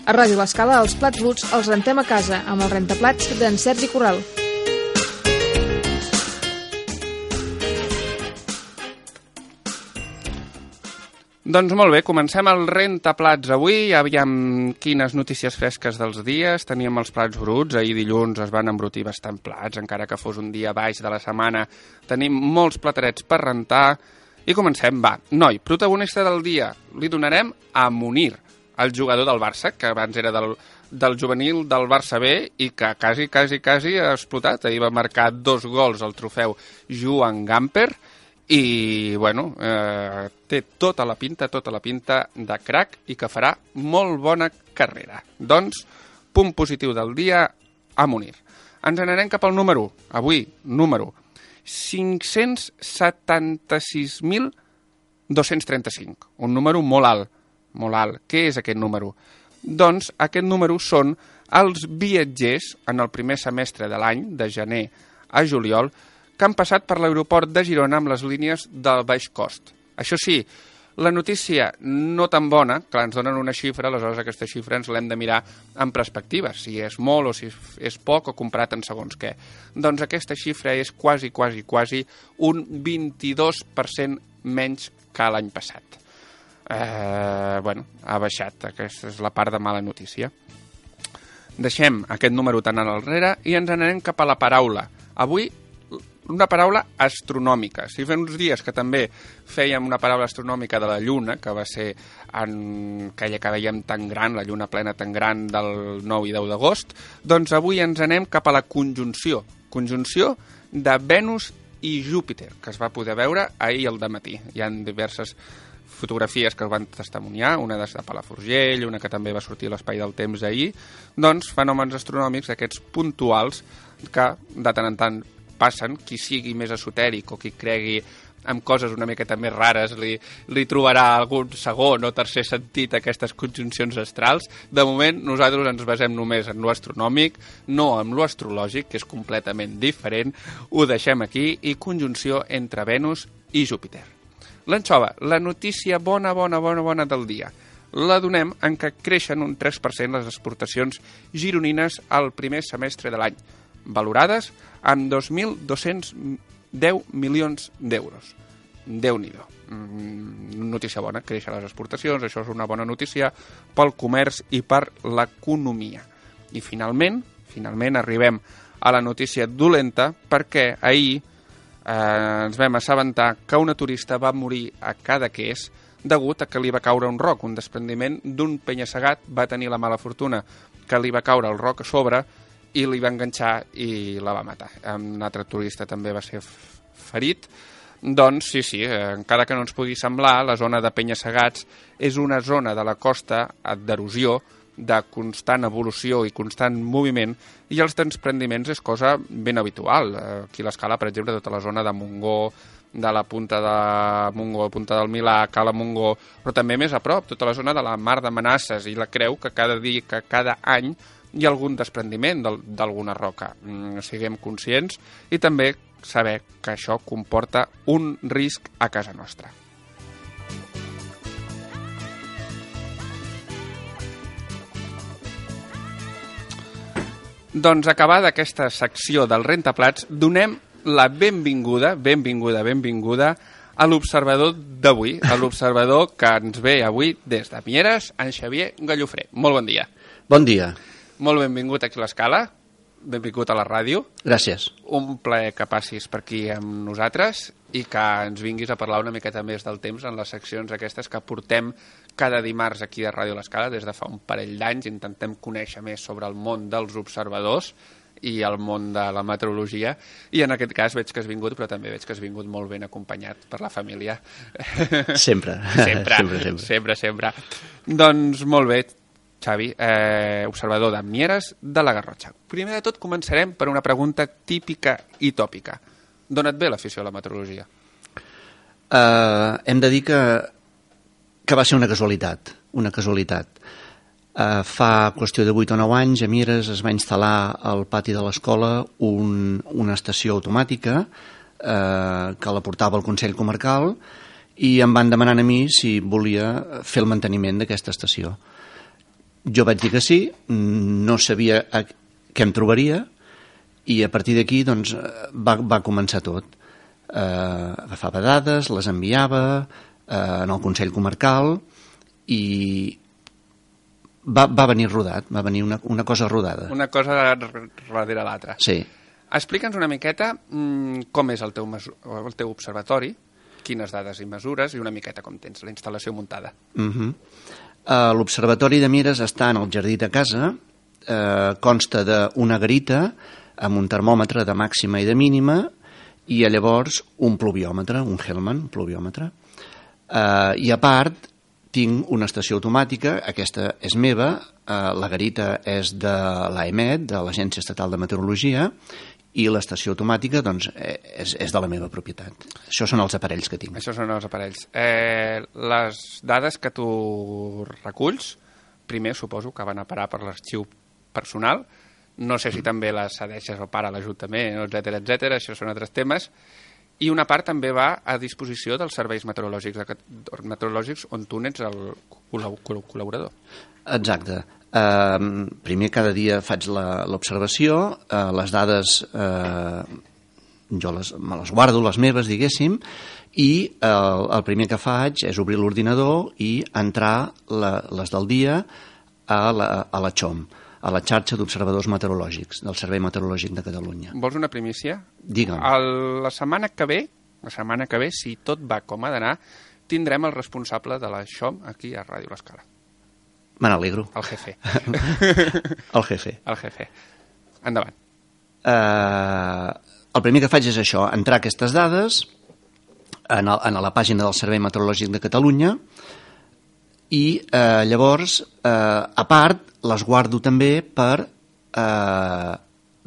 A Ràdio L'Escala, els plats bruts els rentem a casa amb el rentaplats d'en Sergi Corral. Doncs molt bé, comencem el rentaplats avui. Aviam quines notícies fresques dels dies. Teníem els plats bruts. Ahir dilluns es van embrutir bastant plats, encara que fos un dia baix de la setmana. Tenim molts platerets per rentar. I comencem, va. Noi, protagonista del dia, li donarem a Munir, el jugador del Barça, que abans era del juvenil del Barça B i que quasi ha explotat. Ahir va marcar 2 gols al trofeu Joan Gamper i, bueno, té tota la pinta de crac i que farà molt bona carrera. Doncs, punt positiu del dia a Munir. Ens n'anem cap al número 1. Avui, número 576.235. Un número molt alt. Molt alt. Què és aquest número? Doncs aquest número són els viatgers en el primer semestre de l'any, de gener a juliol, que han passat per l'aeroport de Girona amb les línies del baix cost. Això sí, la notícia no tan bona, que ens donen una xifra, aleshores aquesta xifra ens l'hem de mirar en perspectiva, si és molt o si és poc o comparat en segons què. Doncs aquesta xifra és quasi un 22% menys que l'any passat. Ha baixat, aquesta és la part de mala notícia. Deixem aquest número tan enrere i ens n'anem cap a la paraula. Avui, una paraula astronòmica. Si fa uns dies que també fèiem una paraula astronòmica de la Lluna, que va ser en aquella que veiem tan gran, la Lluna plena tan gran del 9 i 10 d'agost, doncs avui ens anem cap a la conjunció. Conjunció de Venus i Júpiter, que es va poder veure ahir al dematí. Hi ha diverses fotografies que es van testimoniar, una de Palafrugell, una que també va sortir a l'Espai del Temps ahir, doncs fenòmens astronòmics aquests puntuals que de tant en tant passen. Qui sigui més esotèric o qui cregui en coses una miqueta més rares li trobarà algun segon o tercer sentit a aquestes conjuncions astrals. De moment nosaltres ens basem només en lo astronòmic, no en lo astrològic, que és completament diferent. Ho deixem aquí, i conjunció entre Venus i Júpiter. L'anxova, la notícia bona del dia. La donem en que creixen un 3% les exportacions gironines al primer semestre de l'any, valorades amb 2.210 milions d'euros. Déu-n'hi-do. Notícia bona, creixen les exportacions, això és una bona notícia pel comerç i per l'economia. I finalment arribem a la notícia dolenta, perquè ahir ens vam assabentar que una turista va morir a Cadaqués degut a que li va caure un roc, un desprendiment d'un penya-segat. Va tenir la mala fortuna que li va caure el roc a sobre i li va enganxar i la va matar. Un altre turista també va ser ferit. Doncs sí, encara que no ens pugui semblar, la zona de penya-segats és una zona de la costa d'erosió, de constant evolució i constant moviment, i els desprendiments és cosa ben habitual. Aquí a l'Escala, per exemple, tota la zona de Montgó, de la punta de Montgó, punta del Milà, Cala Montgó, però també més a prop, tota la zona de la Mar de Manasses i la Creu, que cada any hi ha algun desprendiment d'alguna roca. Siguem conscients i també saber que això comporta un risc a casa nostra. Doncs acabada aquesta secció del rentaplats, donem la benvinguda a l'observador d'avui, a l'observador que ens ve avui des de Mieres, en Xavier Gallofré. Molt bon dia. Bon dia. Molt benvingut aquí a l'Escala, benvingut a la ràdio. Gràcies. Un plaer que passis per aquí amb nosaltres i que ens vinguis a parlar una miqueta més del temps en les seccions aquestes que portem cada dimarts aquí a Ràdio L'Escala des de fa un parell d'anys. Intentem conèixer més sobre el món dels observadors i el món de la meteorologia, i en aquest cas veig que has vingut, però també veig que has vingut molt ben acompanyat per la família. Sempre. Sempre. Doncs molt bé, Xavi, observador de Mieres de la Garrotxa. Primer de tot començarem per una pregunta típica i tòpica. D'on et ve l'afició a la meteorologia? Hem de dir que va ser una casualitat. Fa qüestió de 8 o 9 anys a Mieres es va instal·lar al pati de l'escola una estació automàtica que la portava el Consell Comarcal, i em van demanar a mi si volia fer el manteniment d'aquesta estació. Jo vaig dir que sí, no sabia què em trobaria, i a partir d'aquí doncs, va començar tot. Agafava dades, les enviava en el Consell Comarcal i va venir rodat, va venir una cosa rodada. Una cosa darrere l'altra. Sí. Explica'ns una miqueta com és el teu observatori, quines dades i mesures, i una miqueta com tens la instal·lació muntada. L'Observatori de Mieres està en el jardí de casa, consta d'una garita amb un termòmetre de màxima i de mínima, i llavors un pluviòmetre, un Hellman pluviòmetre. I a part tinc una estació automàtica, aquesta és meva, la garita és de l'AEMET, de l'Agència Estatal de Meteorologia, i l'estació automàtica doncs, és de la meva propietat. Això són els aparells que tinc. Això són els aparells. Les dades que tu reculls, primer suposo que van a parar per l'arxiu personal, no sé si també les cedeixes o para l'Ajuntament, etcètera, això són altres temes, i una part també va a disposició dels serveis meteorològics on tu n'ets el col·laborador. Exacte. Primer cada dia faig l'observació, les dades jo me les guardo, les meves, diguéssim, i el primer que faig és obrir l'ordinador i entrar les del dia a la XOM, a la xarxa d'observadors meteorològics del Servei Meteorològic de Catalunya. Vols una primícia? Digue'm. La setmana que ve, si tot va com ha d'anar, tindrem el responsable de la XOM aquí a Ràdio L'Escala. Me n'alegro. El jefe. El jefe. El jefe. Endavant. El primer que faig és això, entrar aquestes dades en la pàgina del Servei Meteorològic de Catalunya i llavors, a part, les guardo també per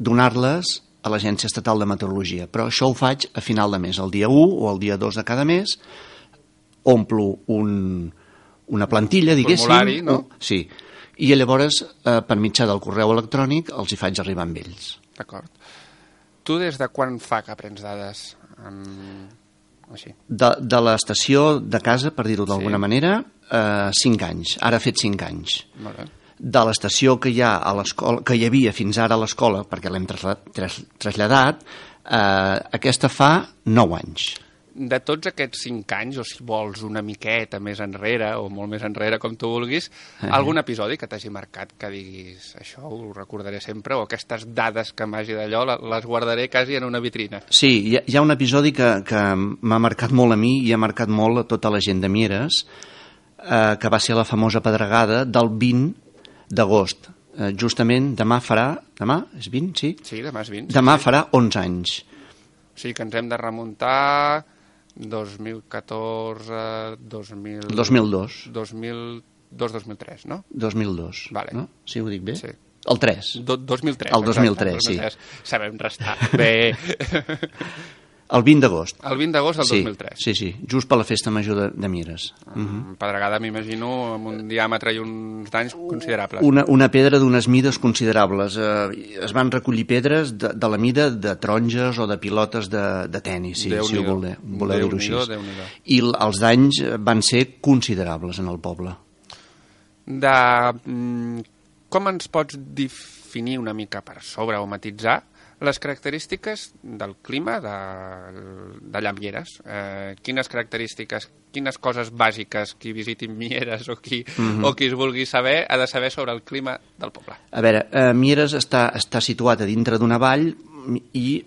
donar-les a l'Agència Estatal de Meteorologia. Però això ho faig a final de mes, el dia 1 o el dia 2 de cada mes, omplo una plantilla, diguéssim. Formulari, no? Sí. I llavors, per mitjà del correu electrònic, els hi faig arribar amb ells. D'acord. Tu des de quan fa que prens dades? Així. De l'estació de casa, per dir-ho d'alguna manera, 5 anys. Ara ha fet 5 anys. Molt bé. De l'estació que hi ha a l'escola, que hi havia fins ara a l'escola, perquè l'hem traslladat, aquesta fa 9 anys. De tots aquests 5 anys, o si vols una miqueta més enrere, o molt més enrere, com tu vulguis, algun episodi que t'hagi marcat, que diguis això ho recordaré sempre, o aquestes dades que m'hagi d'allò les guardaré quasi en una vitrina? Sí, hi ha un episodi que m'ha marcat molt a mi i ha marcat molt a tota la gent de Mieres, que va ser la famosa pedregada del 20 d'agost. Justament demà farà... Demà? És 20, sí? Sí, demà és 20. Demà farà 11 anys. O sigui que ens hem de remuntar 2014, 2002. 2003, no? 2002, vale. No? Sí, ho dic bé? Sí. El 3. 2003. El 2003, sí. Sabem restar. Bé. El 20 d'agost. El 20 d'agost del 2003. Sí, sí, just per la festa major de Mieres. Pedregada, m'imagino, amb un diàmetre i uns danys considerables. Una pedra d'unes mides considerables. Es van recollir pedres de la mida de taronges o de pilotes de tenis, si ho voleu dir-ho així. I els danys van ser considerables en el poble. Com ens pots definir una mica per sobre o matitzar les característiques del clima d'allà Mieres? Quines característiques, quines coses bàsiques qui visiti Mieres o qui es vulgui saber ha de saber sobre el clima del poble? A veure, Mieres està situat a dintre d'una vall i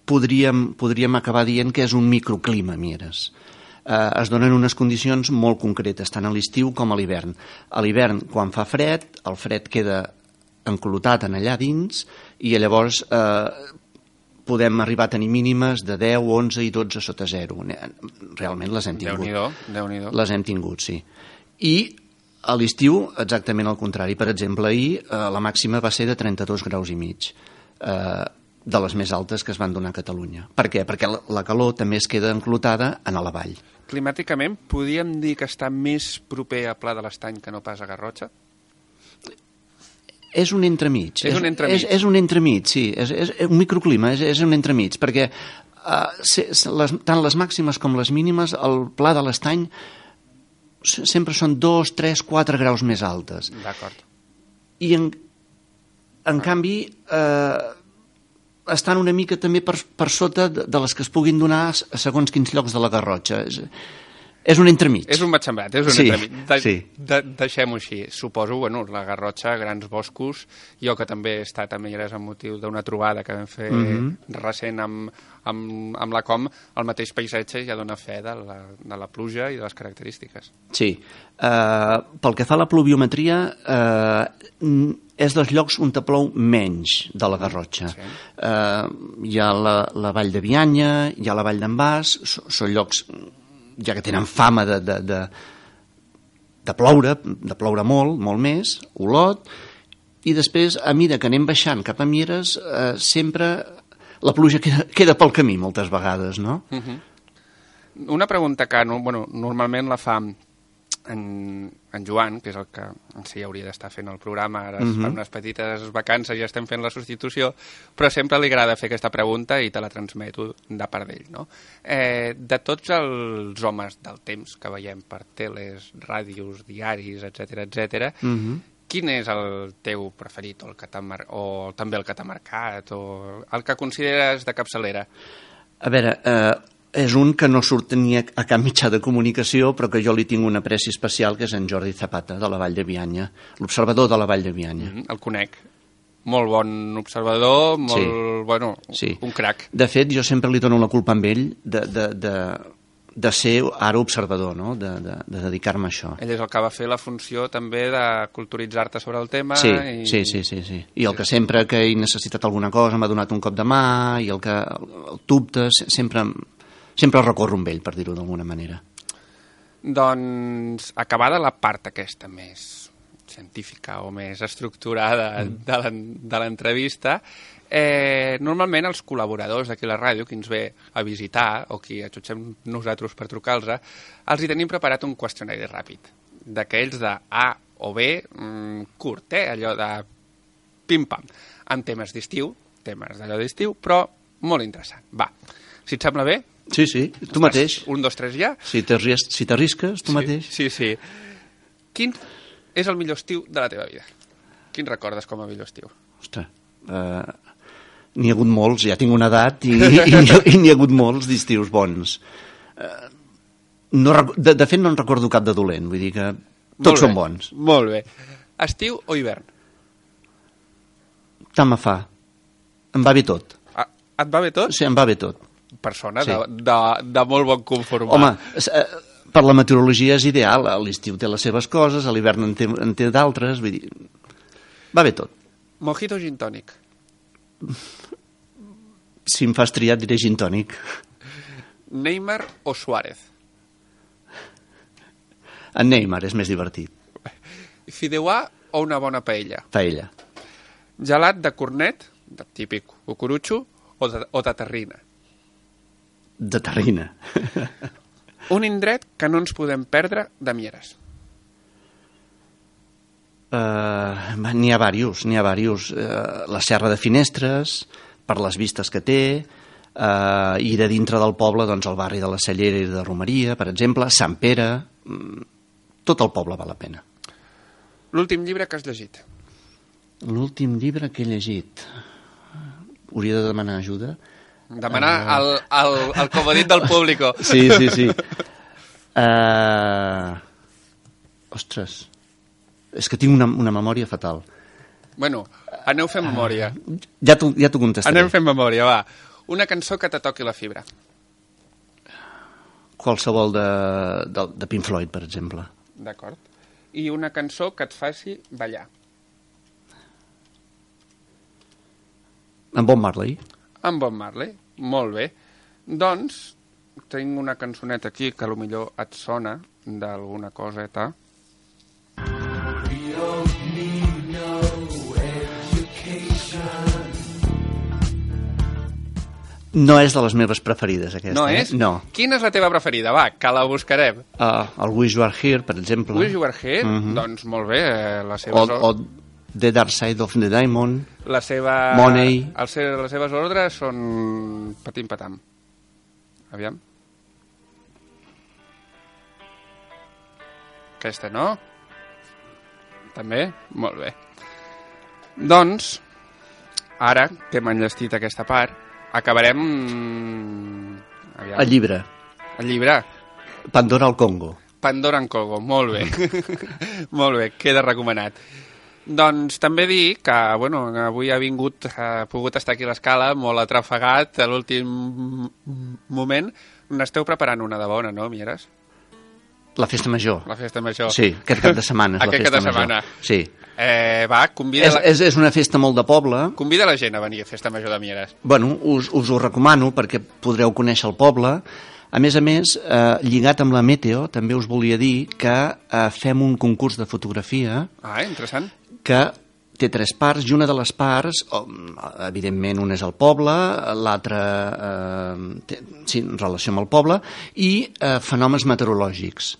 podríem acabar dient que és un microclima, Mieres. Es donen unes condicions molt concretes, tant a l'estiu com a l'hivern. A l'hivern, quan fa fred, el fred queda enclotat en allà dins i llavors podem arribar a tenir mínimes de 10, 11 i 12 sota 0. Realment les hem tingut. Déu-n'hi-do. Les hem tingut, sí. I a l'estiu, exactament al contrari. Per exemple, ahir la màxima va ser de 32 graus i mig, de les més altes que es van donar a Catalunya. Per què? Perquè la calor també es queda enclotada en la vall. Climàticament, podríem dir que està més proper a Pla de l'Estany que no pas a Garrotxa? És un entremig. És un entremig. És un entremig, sí. És un microclima, és un entremig, perquè tant les màximes com les mínimes, el Pla de l'Estany sempre són 2, 3, 4 graus més altes. D'acord. i en canvi estan una mica també per sota de les que es puguin donar a segons quins llocs de la Garrotxa. És un entremig. És un matxembrat, és un Sí, entremig. sí. Deixem-ho així. Suposo, bueno, la Garrotxa, grans boscos, jo que també he estat a Mieres amb motiu d'una trobada que vam fer recent amb la Com, el mateix paisatge ja dona fe de la pluja i de les característiques. Sí. Pel que fa a la pluviometria, és dels llocs on te plou menys de la Garrotxa. Sí. Hi ha la vall de Bianya, hi ha la vall d'en Bas, són llocs ja que tenen fama de ploure molt més, Olot, i després, a mesura que anem baixant cap a Mieres, sempre la pluja queda pel camí moltes vegades, no? Una pregunta que normalment la fa en Joan, que és el que en si hauria d'estar fent el programa, ara es fan unes petites vacances i estem fent la substitució, però sempre li agrada fer aquesta pregunta i te la transmeto de part d'ell, no? De tots els homes del temps que veiem per teles, ràdios, diaris, etc, quin és el teu preferit, o també el que t'ha marcat, o el que consideres de capçalera? A veure, és un que no surt ni a cap mitjà de comunicació, però que jo li tinc una apreci especial, que és en Jordi Zapata, de la Vall de Bianya, l'observador de la Vall de Bianya. El conec. Molt bon observador, Sí. un crac. De fet, jo sempre li dono la culpa a ell de ser ara observador, no? De dedicar-me a això. Ell és el que va fer la funció també de culturitzar-te sobre el tema. Sí. I el que sempre que he necessitat alguna cosa m'ha donat un cop de mà, i el que el dubte sempre recorro amb ell, per dir-ho d'alguna manera. Doncs, acabada la part aquesta més científica o més estructurada de l'entrevista, normalment els col·laboradors d'aquí a la ràdio, qui ens ve a visitar o qui atxutxem nosaltres per trucar-los, els hi tenim preparat un qüestionari ràpid, d'aquells de A o B, curt, allò de pim-pam, amb temes d'estiu, però molt interessant. Va, si et sembla bé? Sí, tu mateix. 1, 2, 3 ja? Si t'arrisques, tu mateix. Sí. Quin és el millor estiu de la teva vida? Quin recordes com a millor estiu? Ostres, n'hi ha hagut molts, ja tinc una edat i n'hi ha hagut molts d'estius bons. De fet, no en recordo cap de dolent, vull dir que tots són bons. Molt bé. Estiu o hivern? Tant me fa. Em va bé tot. Et va bé tot? Sí, em va bé tot. Persona de molt bon conformar. Home, per la meteorologia és ideal. L'estiu té les seves coses, a l'hivern en té d'altres, vull dir, va bé tot. Mojito o gin tònic? Si em fas triar, diré gin tònic. Neymar o Suárez? En Neymar és més divertit. Fideuà o una bona paella? Paella. Gelat de cornet, de típic cucurutxo, o de terrina? De terrina. Un indret que no ens podem perdre de Mieres? N'hi ha diversos. La Serra de Finestres, per les vistes que té, i de dintre del poble, doncs, el barri de la Cellera i de Romeria, per exemple, Sant Pere, tot el poble val la pena. L'últim llibre que has llegit? L'últim llibre que he llegit... Hauria de demanar ajuda. Demanar el comodín del público. Sí. Ostres, és que tinc una memòria fatal. Bueno, aneu fent memòria. Ja t'ho contestaré. Anem fent memòria, va. Una cançó que te toqui la fibra. Qualsevol de Pink Floyd, per exemple. D'acord. I una cançó que et faci ballar. En Bob Marley. En Bob Marley, molt bé. Doncs, tinc una cançoneta aquí que potser et sona d'alguna coseta. No és de les meves preferides, aquesta. No és? No. Quina és la teva preferida? Va, que la buscarem. El Wish You Are Here, per exemple. Wish You Are Here? Doncs molt bé. La seva o The Dark Side of the Diamond. La seva... Money. Les seves ordres són patim-patam. Aviam. Aquesta, no? També? Molt bé. Doncs, ara que hem enllestit aquesta part, acabarem... El llibre. El llibre. Pandora al Congo. Pandora en Congo, molt bé. Molt bé, queda recomanat. Doncs també dir que, bueno, avui ha pogut estar aquí a l'escala, molt atrafegat a l'últim moment. N'esteu preparant una de bona, no, Mieres? La festa major. La festa major. Sí, aquest cap de setmana és la festa major. Setmana. Sí. Va, convida... És una festa molt de poble. Convida la gent a venir a festa major de Mieres. Bueno, us ho recomano perquè podreu conèixer el poble. A més, lligat amb la Meteo, també us volia dir que fem un concurs de fotografia. Ah, interessant. Que té 3 parts, i una de les parts, evidentment, una és el poble, l'altra sí, en relació amb el poble, i fenòmens meteorològics.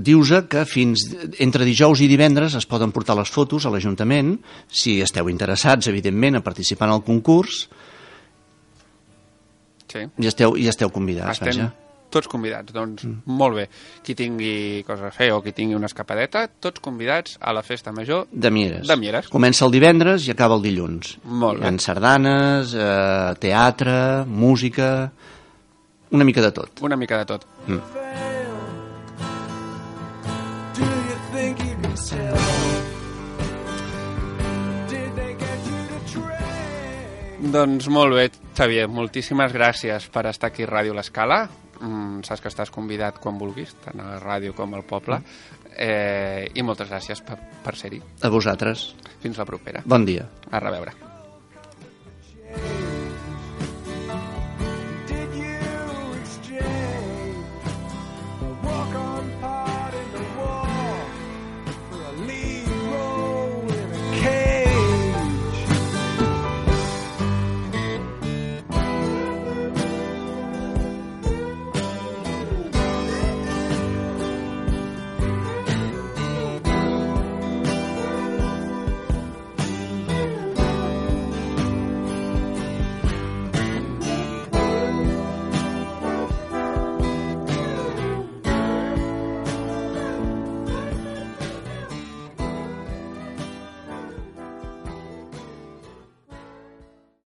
Dius que fins entre dijous i divendres es poden portar les fotos a l'Ajuntament, si esteu interessats, evidentment, a participar en el concurs, sí. I esteu convidats. Estem tots convidats, doncs molt bé. Qui tingui coses a fer o qui tingui una escapadeta, tots convidats a la festa major de Mieres. De Mieres. Comença el divendres i acaba el dilluns. Molt bé. Hi ha sardanes, teatre, música, una mica de tot. Una mica de tot. Doncs molt bé, Xavier, moltíssimes gràcies per estar aquí a Ràdio L'Escala. Saps que estàs convidat quan vulguis, tant a la ràdio com al poble, i moltes gràcies per ser-hi. A vosaltres. Fins la propera. Bon dia. A reveure.